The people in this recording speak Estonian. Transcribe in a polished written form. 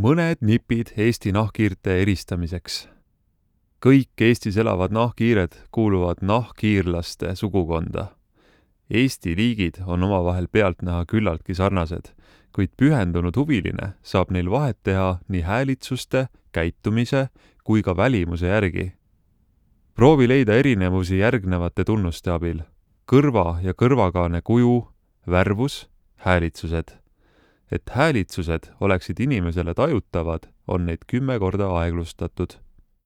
Mõned nipid Eesti nahkhiirte eristamiseks. Kõik Eestis elavad nahkhiired kuuluvad nahkhiirlaste sugukonda. Eesti liigid on omavahel pealtnäha küllaltki sarnased, kuid pühendunud huviline saab neil vahet teha nii häälitsuste, käitumise kui ka välimuse järgi. Proovi leida erinevusi järgnevate tunnuste abil. Kõrva ja kõrvakaane kuju, värvus, häälitsused. Et häälitsused oleksid inimesele tajutavad, on neid 10 korda aeglustatud.